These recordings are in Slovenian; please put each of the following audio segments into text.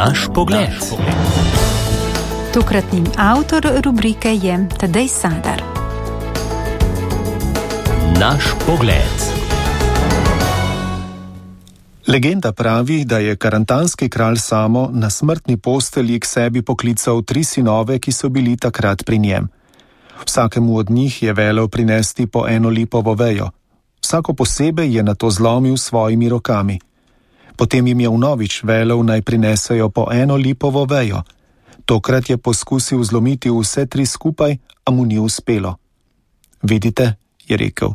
Naš pogled. Tokratni avtor rubrike je Tadej Sadar. Naš pogled. Legenda pravi, da je karantanski kralj Samo na smrtni postelji k sebi poklical 3 sinove, ki so bili takrat pri njem. Vsakemu od njih je velel prinesti po 1 lipovo vejo. Vsako posebej je nato zlomil s svojimi rokami. Potem jim je vnovič velel, naj prinesejo po 1 lipovo vejo. Tokrat je poskusil zlomiti vse 3 skupaj, a mu ni uspelo. Vidite, je rekel,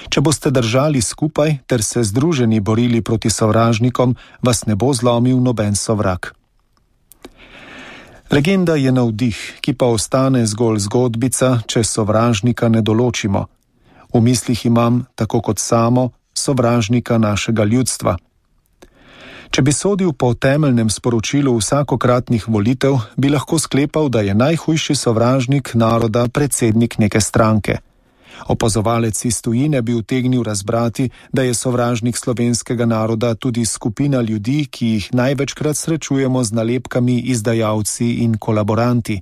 če boste držali skupaj ter se združeni borili proti sovražnikom, vas ne bo zlomil noben sovrag. Legenda je navdih, ki pa ostane zgolj zgodbica, če sovražnika ne določimo. V mislih imam, tako kot Samo, sovražnika našega ljudstva. Če bi sodil po temeljnem sporočilu vsakokratnih volitev, bi lahko sklepal, da je najhujši sovražnik naroda predsednik neke stranke. Opazovalec iz tujine bi utegnil razbrati, da je sovražnik slovenskega naroda tudi skupina ljudi, ki jih največkrat srečujemo z nalepkami izdajalci in kolaboranti.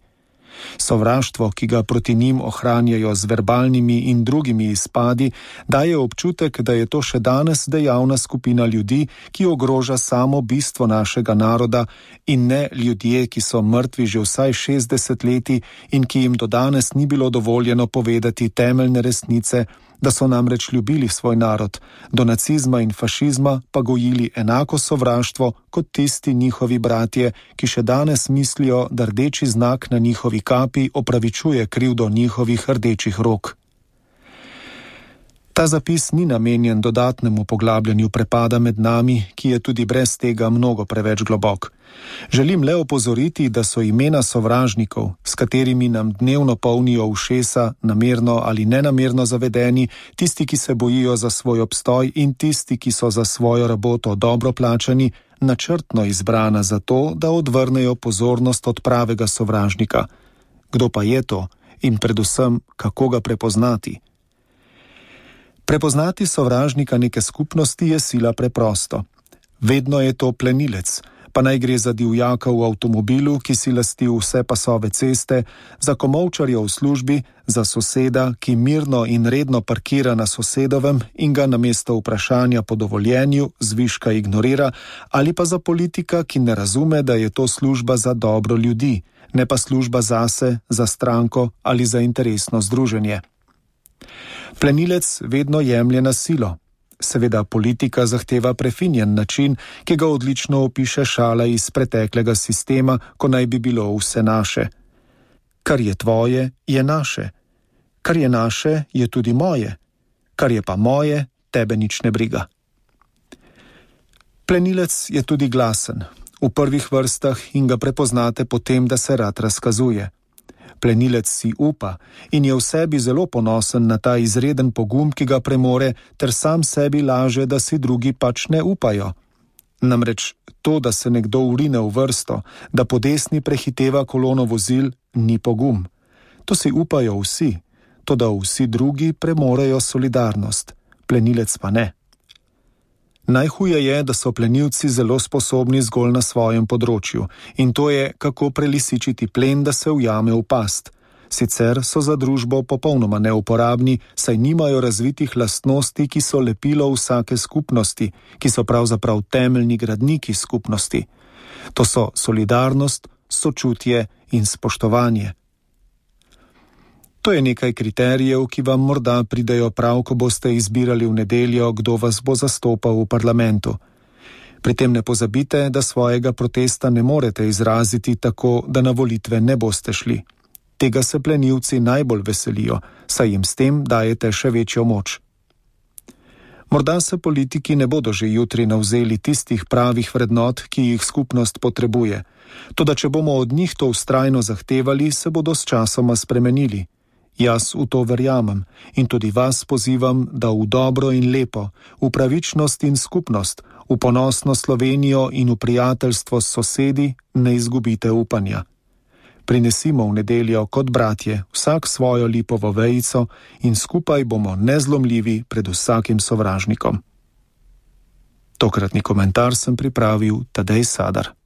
Sovraštvo, ki ga proti njim ohranjajo z verbalnimi in drugimi izpadi, daje občutek, da je to še danes dejavna skupina ljudi, ki ogroža samo bistvo našega naroda in ne ljudje, ki so mrtvi že vsaj 60 leti in ki jim do danes ni bilo dovoljeno povedati temeljne resnice, da so namreč ljubili svoj narod, do nacizma in fašizma pa gojili enako sovraštvo kot tisti njihovi bratje, ki še danes mislijo, da rdeči znak na njihovi kapi opravičuje krivdo njihovih rdečih rok. Ta zapis ni namenjen dodatnemu poglabljanju prepada med nami, ki je tudi brez tega mnogo preveč globok. Želim le opozoriti, da so imena sovražnikov, s katerimi nam dnevno polnijo ušesa, namerno ali nenamerno zavedeni, tisti, ki se bojijo za svoj obstoj in tisti, ki so za svojo raboto dobro plačani, načrtno izbrana zato, da odvrnejo pozornost od pravega sovražnika. Kdo pa je to in predvsem, kako ga prepoznati? Prepoznati sovražnika neke skupnosti je sila preprosto. Vedno je to plenilec, pa naj gre za divjaka v avtomobilu, ki si lasti vse pasove ceste, za komolčarja v službi, za soseda, ki mirno in redno parkira na sosedovem in ga namesto vprašanja po dovoljenju zviška ignorira, ali pa za politika, ki ne razume, da je to služba za dobro ljudi, ne pa služba zase, za stranko ali za interesno združenje. Plenilec vedno jemlje na silo. Seveda politika zahteva prefinjen način, ki ga odlično opiše šala iz preteklega sistema, ko naj bi bilo vse naše. Kar je tvoje, je naše. Kar je naše, je tudi moje. Kar je pa moje, tebe nič ne briga. Plenilec je tudi glasen, v prvih vrstah in ga prepoznate po tem, da se rad razkazuje. Plenilec si upa in je v sebi zelo ponosen na ta izreden pogum, ki ga premore, ter sam sebi laže, da si drugi pač ne upajo. Namreč to, da se nekdo vrine v vrsto, da po desni prehiteva kolono vozil, ni pogum. To si upajo vsi, toda vsi drugi premorejo solidarnost, plenilec pa ne. Najhuje je, da so plenilci zelo sposobni zgolj na svojem področju in to je, kako prelisičiti plen, da se ujame v past. Sicer so za družbo popolnoma neuporabni, saj nimajo razvitih lastnosti, ki so lepilo vsake skupnosti, ki so pravzaprav temeljni gradniki skupnosti. To so solidarnost, sočutje in spoštovanje. To je nekaj kriterijev, ki vam morda pridejo prav, ko boste izbirali v nedeljo, kdo vas bo zastopal v parlamentu. Pri tem ne pozabite, da svojega protesta ne morete izraziti tako, da na volitve ne boste šli. Tega se plenilci najbolj veselijo, saj jim s tem dajete še večjo moč. Morda se politiki ne bodo že jutri navzeli tistih pravih vrednot, ki jih skupnost potrebuje. Toda če bomo od njih to vztrajno zahtevali, se bodo s časoma spremenili. Jaz v to verjamem in tudi vas pozivam, da v dobro in lepo, v pravičnost in skupnost, v ponosno Slovenijo in v prijateljstvo s sosedi ne izgubite upanja. Prinesimo v nedeljo kot bratje vsak svojo lipovo vejico in skupaj bomo nezlomljivi pred vsakim sovražnikom. Tokratni komentar sem pripravil Tadej Sadar.